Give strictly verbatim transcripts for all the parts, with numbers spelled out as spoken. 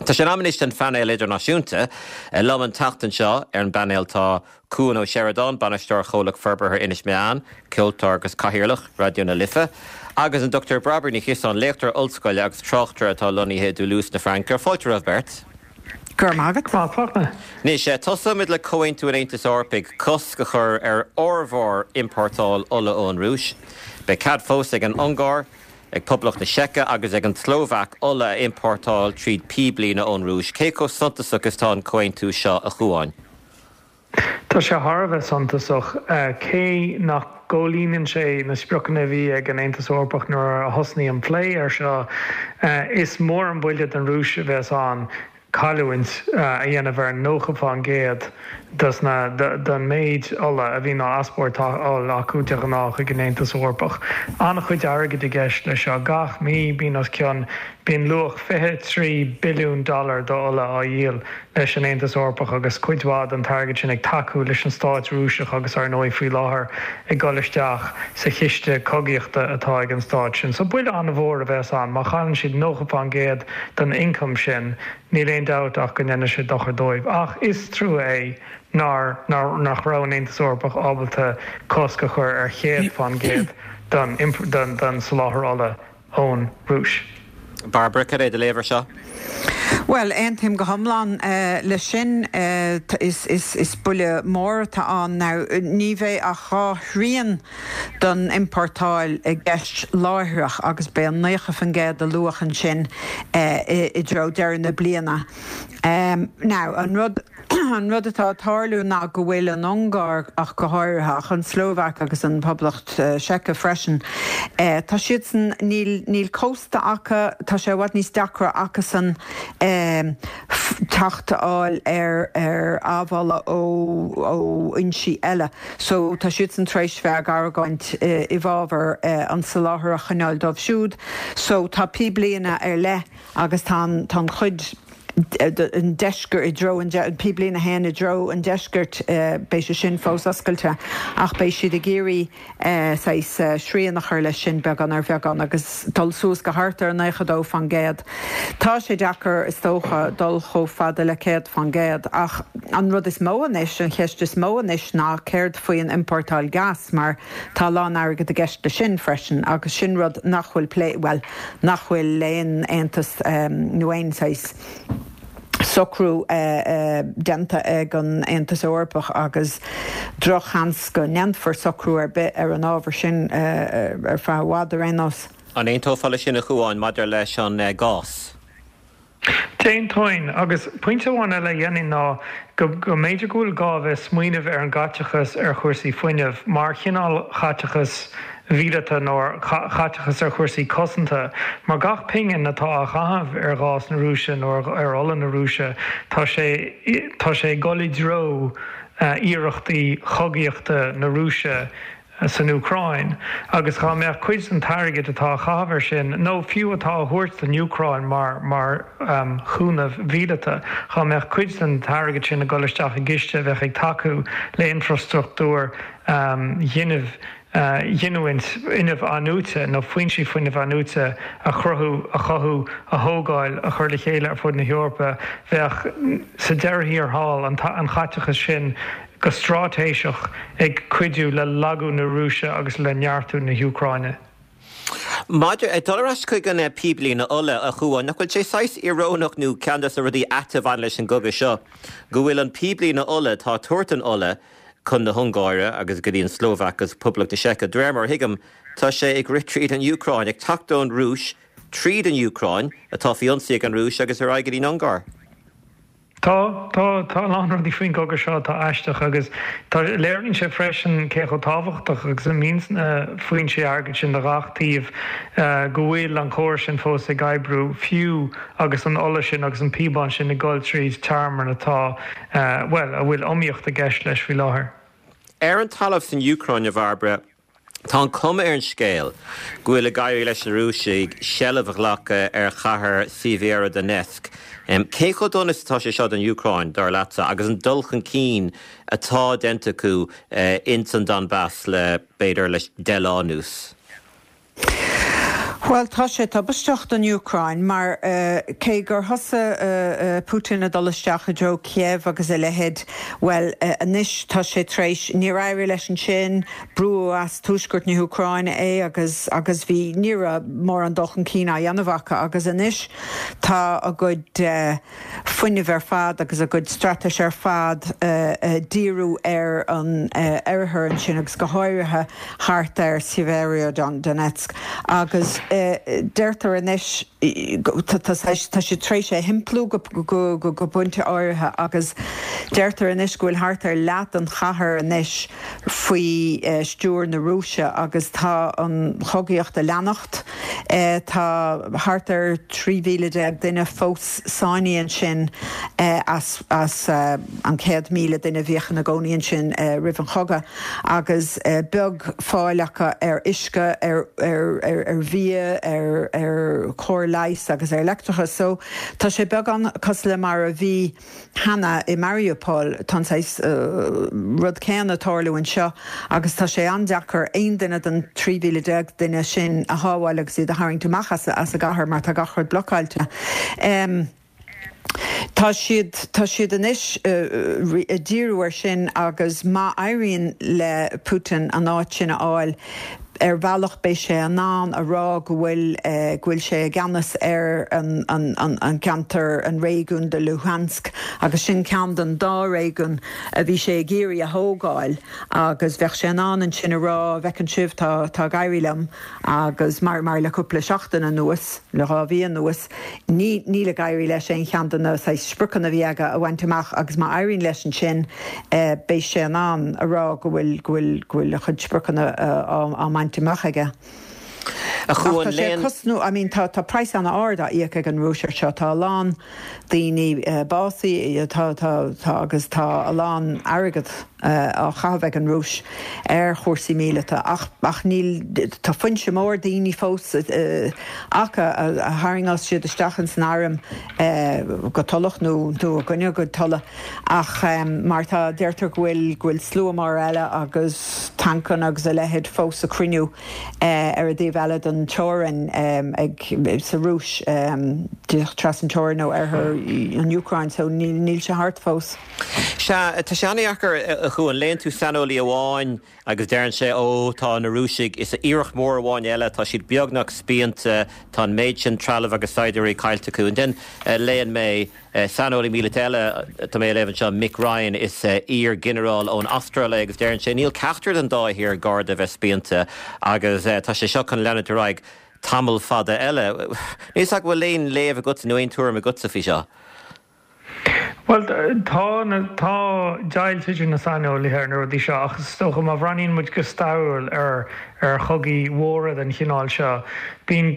Tá sé in am anois don phainéal idirnáisiúnta. Liom an tseachtain seo ar an bpainéal tá Cuan Ó Seireadáin, bainisteoir Chomhlacht Forbartha Inis Meáin, ceoltóir agus cathaoirleach Raidió na Life, agus an Dr Bairbre Ní Chiosáin, léachtóir ollscoile agus tráchtaire atá lonnaithe i Toulouse na Fraince. Fáilte romhaibh beirt. Gur magat. Anois tosóimid le Comhaontú an Aontais Eorpaigh cosc a chur ar fhormhór iompórtáil ola ón Rúis. Beidh cead fós ag an Ungáir, ag Poblacht na Seice agus ag an tSlóvaic ola a iompórtáil tríd píblíne ón Rúis. Cé chomh suntasach is atá an comhaontú seo a Chuáin? Tá sé thar a bheith suntasach cé nach gcomhlíonann sé na spriocanna a bhí ag an Aontas Eorpach nuair a thosnaigh an plé ar seo. Is mór an buille don Rúis a bheas ann cailliúint a dhéanamh ar nócha faoin gcéad den méid ola a bhíonn á easpórtáil acu de ghnáth chuig an Aontas Eorpach. An-chuid airgid i gceist leis seo. Gach mí bíonn os cionn bíonn luach fiche trí billiún dollar d'ola á dhíol leis an Aontas Eorpach agus cuid mhaith den airgead sin ag tacú leis an stát Rúiseach agus ar ndóigh faoi láthair ag dul isteach sa chiste cogaíochta atá ag an stát sin. So buille an-mhór a bheas ann má chailleann siad nócha faoin gcéad den ioncam sin níl aon dabht ach go ndéanfaidh sé dochar dóibh. Ach is trua é nár nach raibh an Aontas Eorpach ábalta cosc a chur ar chéad faoin gcéad den den soláthar ola ón Rúis. Bairbre, cad é do léamh air seo? Well, aontaím go hiomlán leis sin is is is buille mór atá ann now ní bheidh ach dhá thrian den iompórtáil i gceist láithreach agus beidh an naocha faoin gcéad a luadh ansin i dtreo deireadh na bliana. Now an rud an rud atá ag tarlú ná go bhfuil an Ungáir ach go háirithe ach an Slóvaic agus an Poblacht Seice freisin. Tá siadsan níl níl cósta acu tá sé i bhfad níos deacra acusan teacht a fháil ar ar amhola ó ó fhoinsí eile. So tá siadsan tar éis bheith ag argóint i bhfabhar an soláthar a choinneáil dóibh siúd. So tá píblíne ar leith agus tá tá an chuid an deisceart i dtreo an píblíne a haon i dtreo an deiscirt beidh sé sin fós oscailte ach beidh siad ag iarraidh saghas srian a chur leis sin beagán ar bheagán agus dul suas go thart ar naocha dó faoin gcéad. Tá sé deacair is dócha dul chomh fada le céad faoin gcéad ach an rud is mó anois an cheist is mó anois ná céard faoin iompórtáil gas mar tá lán airgead i gceist leis sin freisin agus sin rud nach bhfuil plé well nach bhfuil aon aontas nó aon saghas socrú déanta ag an Aontas Eorpach agus drochsheans go ndéanfar socrú ar bith ar an ábhar sin ar feadh i bhfad ar aon nós. An aontófá leis sin a Chuáin maidir leis an gás? D'aontóinn agus pointe amháin eile a dhéanfainn ná go go mb'fhéidir go bhfuil gá a bheith smaoineamh ar an gcaiteachas ar chúrsaí fuinnimh mar chineál chaiteachas mhíleata nó chaiteachas ar chúrsaí cosanta mar gach pingin atá á chaitheamh ar ghás na Rúise nó ar ola na Rúise tá sé tá sé ag dul i dtreo iarrachtaí chogaíochta na Rúise san Úcráin agus dá mbeadh cuid den airgead atá á chaitheamh air sin nó fiú atá á thabhairt don Úcráin mar mar chúnamh míleata dá mbeadh cuid den airgead sin ag dul isteach i gciste a bheadh ag tacú le infrastruchtúr ghinimh ghiniúint fuinnimh athnuaite nó foinsí fuinnimh athnuaite a chruthú a chothú a thógáil a chur le chéile ar fud na hEorpa bheadh sa deireadh thiar thall an an chaiteachas sin go straitéiseach ag cuidiú le lagú na Rúise agus le neartú na hÚcráine. Maidir dul ar ais chuig an píblíne ola a Chuáin nach bhfuil sé saghas íorónach nó ceann de na rudaí ait a bhain leis an gcogadh seo go bhfuil an píblíne ola atá ag tabhairt an ola chun na hUngáire agus go dtí an Slóvaic agus Poblacht na Seice. De réir mar a thuigim tá sé ag rith tríd an Úcráin ag teacht ón Rúis tríd an Úcráin atá faoi ionsaí ag an Rúis agus ar aghaidh go dtí an Ungáir. Tá tá tá a lán rudaí faoin gcogadh seo atá aisteach agus tá léiríonn sé freisin cé chomh tábhachtach agus a bhíonn na foinsí airgid sin do gach taobh go bhfuil an córas sin fós ag oibriú fiú agus an ola sin agus an píobán sin ag dul tríd tearmann atá well a bhfuil iomaíocht i gceist leis faoi láthair. Ar an talamh san Úcráin a Bhairbre, Tá an chuma ar an scéal go bhfuil ag éirí leis na Rúisigh seilbh a ghlacadh ar chathair Sievierodonetsk. Cé chomh dona is atá sé seo don Úcráin dar leatsa agus an dul chun cinn atá déanta acu ins an Donbass le b'fhéidir le deich lá anuas. Well tá sé tubaisteach don Úcráin mar uh, cé gur thosaigh uh, uh, Putin ag dul isteach i dtreo Kiev agus a leithéid well uh, anois tá sé tar éis níor éirigh leis ansin brú as tuaisceart na hÚcráine é agus agus bhí ní raibh mórán dul chun cinn á dhéanamh acu agus anois tá a gcuid uh, fuinneamh ar fad agus a gcuid straitéis ar fad uh, uh, díriú ar an uh, oirthear ansin agus go háirithe thart ar Severodonetsk agus uh, deirtear anois tá sé tar éis é thimpeallú go pointe áirithe agus deirtear anois go bhfuil thart ar leath an chathair anois faoi stiúir na Rúise agus tá an chogaíocht ag leanacht tá thart ar trí mhíle déag duine fós sáinnithe ansin as as an céad míle duine a bhíodh ina gcónaí ansin roimh an chogadh agus beag fáil acu ar uisce ar ar ar ar bhia ar ar chóir leighis agus ar leictreachas so tá sé beagán cosúil le mar a bhí cheana i Mariupol tá uh, rud céanna ag tarlú anseo agus tá sé an-deacair aon duine den trí mhíle déag duine sin a shábháil agus iad a tharraingt amach as as an gcathair mar tá gach rud blocáilte. Um, Tá siad tá siad anois uh, díriú ar sin agus má éiríonn le Putin an áit sin a fháil ar bhealach beidh sé in ann a rá go bhfuil uh, go bhfuil sé i gceannas ar an, an, an, an ceantar an réigiún de Luhansk agus sin ceann den dá réigiún a bhí sé ag iarraidh a thógáil agus bheadh sé in ann ansin a rá bhfeiceann sibh tá tá ag éirí liom agus mar mar le cúpla seachtain anuas le dhá mhí anuas ní níl ag éirí leis aon cheann de na spriocanna a bhí aige a bhaint amach agus má éiríonn leis ansin uh, beidh sé in ann a rá go bhfuil go bhfuil go bhfuil a chuid spriocanna uh, á mbaint amach aige. A chuan léon cosnú I mean tá tá praghas an-ard á íoc ag an Rúis seo tá a lán daoine uh, básaithe tá tá tá agus tá a lán airgead uh, á chaitheamh ag an Rúis ar chúrsaí míleata ach ach níl tá foinse mór daoine fós uh, acu a, a tharraingeos siad isteach san arm uh, go toileach nó nó gunne go tola ach um, mar tá deirtear go bhfuil go bhfuil slua mór eile agus tancanna agus a leithéid fós ag cruinniú uh, ar an dtaobh eile den teorainn um, ag sa Rúis um, trasna an teorainn nó ar an Úcráin so níl níl sé thart fós. Sea tá sé an-deacair a Chuan léann tú saineolaí amháin agus deireann sé ó tá na Rúisigh is iarracht mór amháin eile tá siad beagnach spíonta tá an méid sin trealamh agus saighdiúirí caillte acu. And then uh, léann mé uh, saineolaí míleata eile tá mé léamh seo Mick Ryan is uh, iar-ghinearál ón Astráil agus deireann sé níl ceachtar den dá thír gar do bheith spíonta agus uh, tá sé seo chun leanúint ar aghaidh tamall fada eile. Ní ach bhfuil léon léamh agat nó aon tuairim agatsa faoi seo. Well tá tá deighilt idir na saineolaithe ar na rudaí seo ach is dócha má bhreathnaíonn muid go stairiúil ar ar chogaí mhóra den chineál seo. Bíonn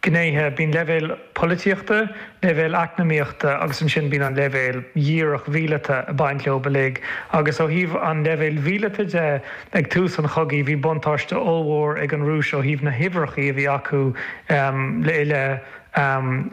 gnéithe bíonn leibhéal polaitíochta, leibhéal eacnamaíochta agus ansin bíonn an leibhéal dhíreach mhíleata ag baint leo uilig agus ó thaobh an leibhéal mhíleata de ag tús an chogaidh bhí buntáiste ollmhór ag an Rúis ó thaobh na huimhreacha a bhí acu um, le le um,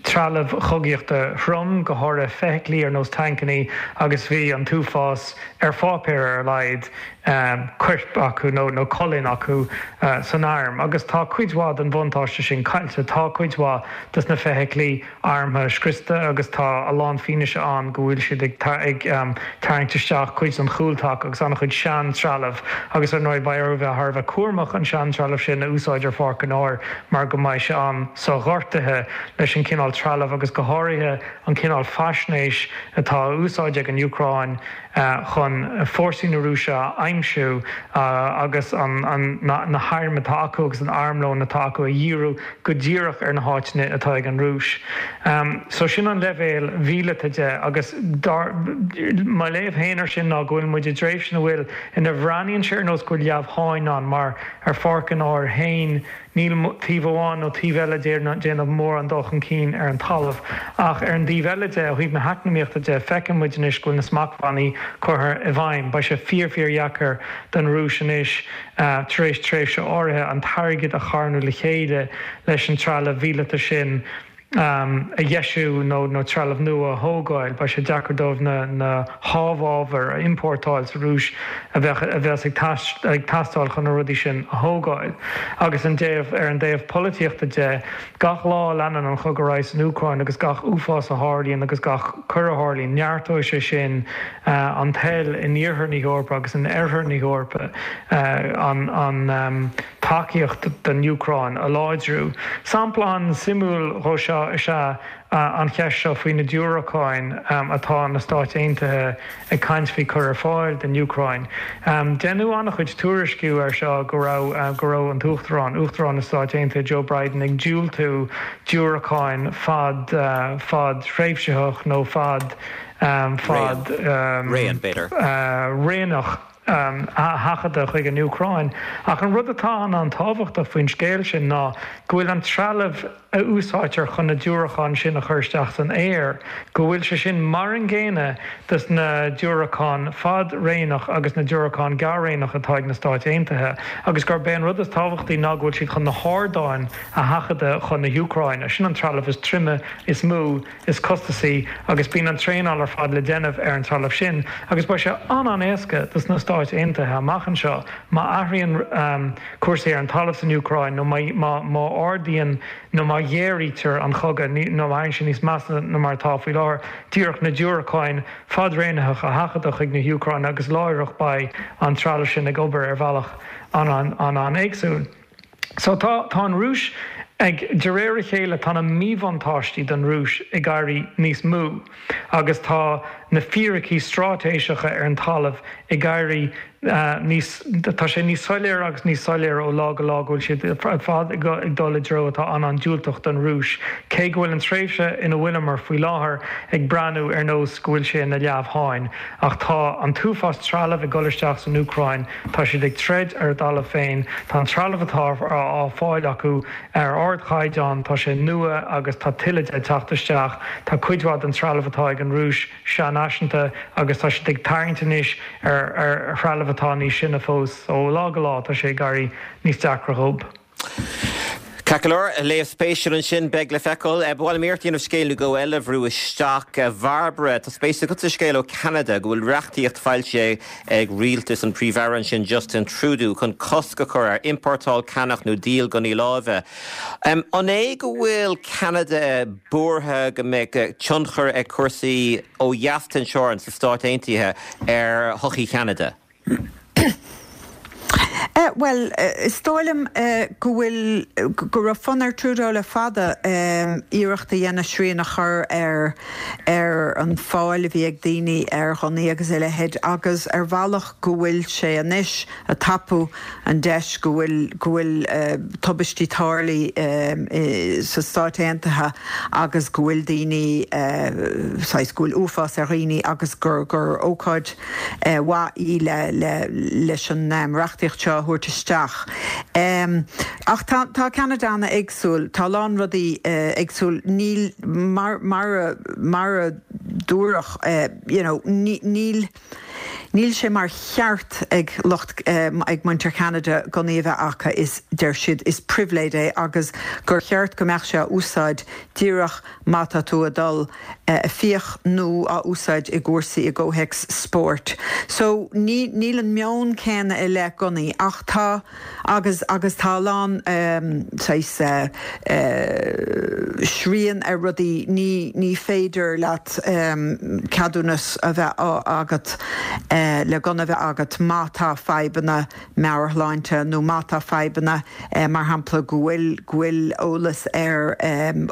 trealamh chogaíochta throm go háirithe feithiclí ar nós tancanna agus bhí an t-uafás ar pháipéar ar a laghad um, coirp acu nó nó colainn acu uh, san arm. agus tá cuid mhaith den bhuntáiste sin caillte tá cuid mhaith de na feithiclí armtha scriosta agus tá a lán fianaise ann go bhfuil siad ag ag um, tarraingt isteach cuid an chúltaca agus an-chuid seantrealamh agus ar ndóigh beidh orthu bheith thar a bheith cúramach an seantrealamh sin a úsáid ar pháirc an áir mar go mbeidh sé an-so-ghortaithe leis an cineál trealamh agus go háirithe an cineál faisnéis atá á úsáid ag an Úcráin uh, chun fórsaí na Rúise a aimsiú uh, agus an, an, na, na hairm atá acu agus an armlón atá acu a dhíriú go díreach ar na háiteanna atá ag an Rúis. Um, so sin an leibhéal mhíleata de agus dar, mo léamh féin air sin ná go bhfuil muid i dtréimhse ina bhfuil ina mbreathnaíonn sé ar nós go bhfuil leamhsháinn ann mar ar pháirc an áir féin níl taobh amháin nó taobh eile déanamh mórán dul chun cinn ar an talamh ach ar an dtaobh eile de ó thaobh na heacnamaíochta de feiceann muid anois go bhfuil na smachtbhannaí curtha i bhfeidhm. Beidh sé fíor fíordheacair don Rúis anois uh, tar éis tréimhse áirithe an t-airgead a charnadh le chéile leis an trealamh míleata sin a dheisiú nó nó trealamh nua a thógáil, beidh sé deacair dóibh na na hábhair a iompórtáil sa Rúis a bheadh a bheas ag ag teastáil chun na rudaí sin a thógáil. Agus an dtaobh ar an dtaobh polaitíochta de gach lá a leanann an cogadh san Úcráin agus gach uafás a tharlaíonn agus gach coir a tharlaíonn neartóidh sé sin an toil in iarthar na hEorpa agus in oirthear na hEorpa an an tacaíocht don Úcráin a láidriú. Sampla an-suimiúil dhó seo is ea an cheist seo faoi na diúracáin atá na Stáit Aontaithe ag caint faoi chur ar fáil don Úcráin. Deineadh an-chuid tuairisciú ar seo go raibh go raibh an tUachtarán Uachtarán na Stáit Aontaithe Joe Biden ag diúltú diúracáin fad fadtréimhseach nó fad fad raon b'fhéidir. raonach a sheachadadh chuig an Úcráin. Ach an rud atá an an-tábhachtach faoin scéal sin ná go bhfuil an trealamh a úsáidtear chun na diúracáin sin a chur isteach san aer, go bhfuil sé sin mar an gcéanna dos na diúracáin fad-raonach agus na diúracáin gearr-raonach atá ag na Stáit Aontaithe, agus gurb é an rud is tábhachtaí ná go bhfuil siad chun na hardáin a sheachadadh chun na hÚcráine. Sin an trealamh is troime, is mó, is costasaí agus bíonn an traenáil ar fad le déanamh ar an trealamh sin, agus beidh sé an-an-éasca dos na Stáit Aontaithe amach anseo má athraíonn cúrsaí ar an talamh san Úcráin nó má má ardaíonn nó má ghéaraítear an cogadh nó má éiríonn sé níos measa ná mar atá faoi láthair, díreach na diúracáin fad-raonach a sheachadadh chuig na hÚcráine agus láithreach beidh an trealamh sin ag obair ar bhealach an-an-éagsúil. So tá tá an Rúis ag de réir a chéile tá na míbhuntáistí don Rúis ag éirí níos mó agus tá na fíricí straitéiseacha ar an talamh ag éirí níos tá sé níos soiléire agus níos soiléire ó lá go lá go bhfuil siad ar fad ag dul i dtreo atá an-an-diúltach don Rúis. Cé go bhfuil an tréimhse ina bhfuileamar faoi láthair ag breathnú ar nós go bhfuil sé ina leamhsháinn, ach tá an t-uafás trealamh ag dul isteach san Úcráin, tá siad ag troid ar a dtalamh féin, tá an trealamh atá á fáil acu ar ardchaighdeán, tá sé nua agus tá tuilleadh de ag teacht isteach, tá cuid mhaith den trealamh atá ag an Rúis seanfhaiseanta agus tá siad ag tarraingt anois ar ar threalamh atá níos sine fós ó lá go lá tá sé ag éirí níos deacra dhóibh. Ceart go leor, léamh spéisiúil ansin, beidh le feiceáil. Ba mhaith liom iarracht a dhéanamh scéal nó dhó eile a bhrú isteach. A Bhairbre, tá spéis agat sa scéal ó Cheanada go bhfuil reachtaíocht foilsithe ag rialtas an Príomh-Aire ansin Justin Trudeau chun cosc a chur ar iompórtáil, ceannach nó díol gunnaí láimhe. An é go bhfuil Ceanada buartha go mbeidh tionchar ag cúrsaí ó dheas den teorainn sna Stáit Aontaithe ar shochaí Cheanada? Bhuel, is dóigh liom go bhfuil go raibh fonn ar Trudeau le fada iarracht a dhéanamh srian a chur ar ar an fáil a bhí ag daoine ar ghunnaí agus a leithéid agus ar bhealach go bhfuil sé anois ag tapú an deis go bhfuil go bhfuil tubaistí tarlaithe sa Stáit Aontaithe agus go bhfuil daoine saghas go bhfuil uafás ar dhaoine agus gur gur ócáid mhaith í le le leis an reachtaíocht seo a thabhairt isteach. Ach tá tá Ceanada an-éagsúil, tá a lán rudaí éagsúil, níl mar mar mar a dúradh you know níl níl sé mar cheart ag lucht ag muintir Cheanada gunnaí a bheith acu is deir siad is pribhléid é agus gur cheart go mbeadh sé á úsáid díreach má tá tú ag dul ag fiach nó á úsáid i gcúrsaí i gcomhthéacs spóirt. So ní níl an meon céanna i leith gunnaí ach tá agus agus tá a lán saghas srian ar rudaí ní ní féidir leat ceadúnas a bheith agat le gunna a bheith agat má tá fadhbanna meabhairshláinte nó má tá fadhbanna mar shampla go bhfuil go bhfuil eolas ar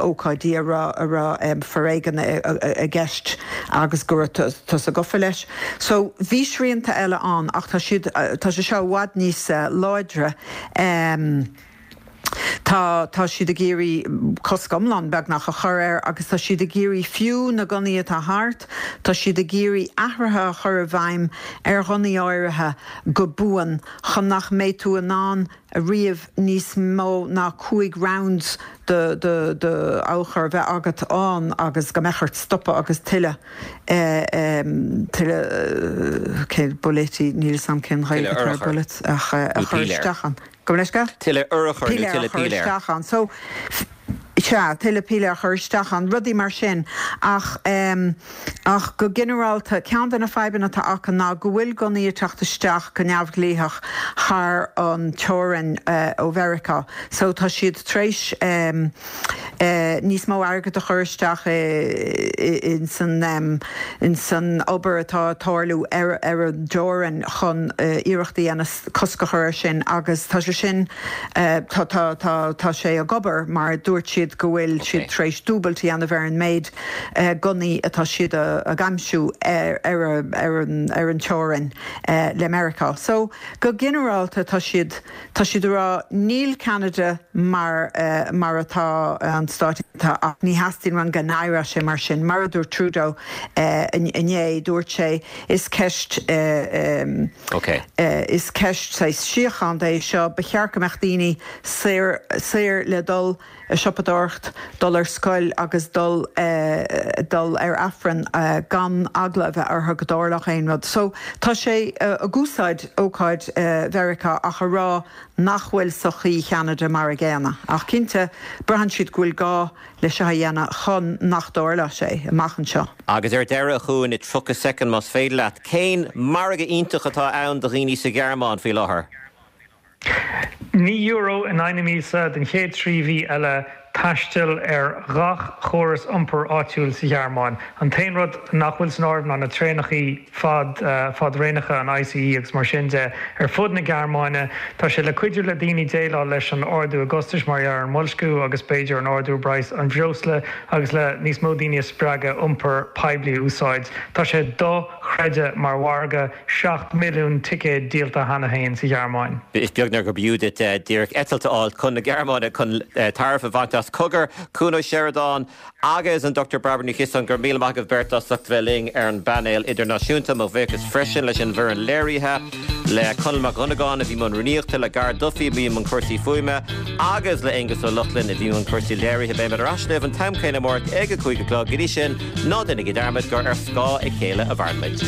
ócáidí a raibh a raibh foréigean i gceist agus go raibh tusa gafa leis. So bhí srianta eile ann ach tá siad tá sé seo i bhfad níos láidre. Tá tá siad ag iarraidh cosc iomlán beagnach a chur air agus tá siad ag iarraidh fiú na gunnaí atá thart, tá siad ag iarraidh athruithe a chur i bhfeidhm ar ghunnaí áirithe go buan chun nach mbeidh tú in ann riamh níos mó ná cúig rounds de de de urchar a bheith agat ann agus go mbeadh ort stopadh agus tuilleadh tuilleadh cén bullet níl a fhios agam cén Ghaeilge atá ar bullet ach a chur isteach ann. Go leisce? Tuilleadh urchar nó tuilleadh piléar. So Sea, tuilleadh píle a chur isteach ann, rudaí mar sin. Ach ach go ginearálta, ceann de na fadhbanna atá acu ná go bhfuil gunnaí ag teacht isteach go neamhdhleathach thar an teorainn ó Mheiriceá. So tá siad tar éis níos mó airgead a chur isteach in san in san obair atá ag tarlú ar ar an dteorainn chun iarracht a dhéanamh cosc a chur air sin agus tá sé sin tá tá tá tá sé ag obair mar dúirt siad go bhfuil siad tar éis dúbailt a dhéanamh ar an méid gunnaí atá siad ag aimsiú ar ar ar an ar an teorainn le Meiriceá. So go ginearálta tá siad tá siad ag rá níl Ceanada mar mar atá an Stáit ach ní theastaíonn uainn go n-éireodh sé mar sin. Mar a dúirt Trudeau inné dúirt sé is ceist is ceist síochána é seo ba cheart go mbeadh daoine saor saor le dul ag siopadóireacht, dul ar scoil agus dul dul ar Aifreann gan eagla a bheith orthu go dtarlódh aon rud. So tá sé ag úsáid ócáid Mheiriceá ach a rá nach bhfuil sochaí Cheanada mar a gcéanna. Ach cinnte braitheann siad go bhfuil gá le seo a dhéanamh chun nach dtarlódh sé amach anseo. Agus ar deireadh a Chuain i tríocha soicind más féidir leat, cén margadh iontach atá ann do dhaoine sa Ghearmáin faoi láthair? Naoi euro in aghaidh na míosa den chéad trí mhí eile taisteal ar gach chóras iompair áitiúil sa Ghearmáin. An t-aon rud nach bhfuil san áireamh ná na traenacha fad fadtraenacha an ICE agus mar sin de ar fud na Gearmáine. Tá sé le cuidiú le daoine déileáil leis an ardú i gcostais mar ar an mboilsciú agus b'fhéidir an ardú i bpraghas an bhreosla agus le níos mó daoine a spreagadh iompar poiblí a úsáid. Tá sé dochreidte mar mhargadh seacht milliún ticéad díolta cheana féin sa Ghearmáin. Is beag gur b'fhiú duit díreach eitilt a fháil chun na Gearmáine chun tairbhe a bhaint as cogar Cuan Ó Seireadáin agus an Dr Bairbre Ní Chiosáin go raibh míle maith agaibh beirt as ucht bheith linn ar an bpainéal idirnáisiúnta mo bhuíochas freisin leis an bhfoireann léirithe le Conall Mac Dhonnagáin a bhí i mbun rúnaíochta le Gar Duffy a bhí i mbun cúrsaí fuaime agus le Aengus Ó Lochlainn a bhí i mbun cúrsaí léirithe beimid ar ais libh an t-am céanna amárach ag a cúig a chlog go dtí sin ná déanaigí dearmad gur ar scáth a chéile a mhaireann muid.